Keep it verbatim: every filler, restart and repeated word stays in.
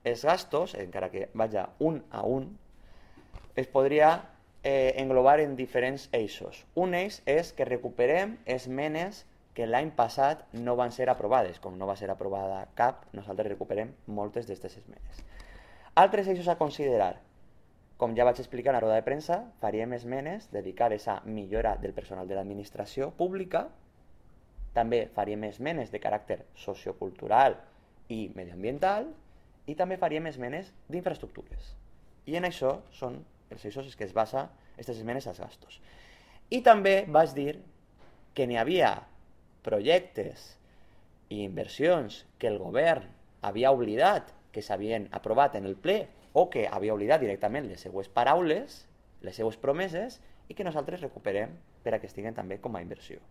els gastos, encara que vaja un a un, es podria eh, englobar en diferents eixos. Un eix és que recuperem esmenes que l'any passat no van ser aprovades. Com no va ser aprovada cap, nosaltres recuperem moltes d'aquestes esmenes. Altres eixos a considerar. Com ja vaig explicar en la roda de premsa, faríem esmenes dedicades a millora del personal de l'administració pública. També faríem esmenes de caràcter sociocultural i medioambiental. I també faríem esmenes d'infraestructures. I en això són els eixos que es basa aquestes esmenes als gastos. I també vaig dir que n'hi havia projectes i inversions que el govern havia oblidat que s'havien aprovat en el ple o que havia oblidat directament les seues paraules, les seues promeses, i que nosaltres recuperem per a que estiguen també com a inversió.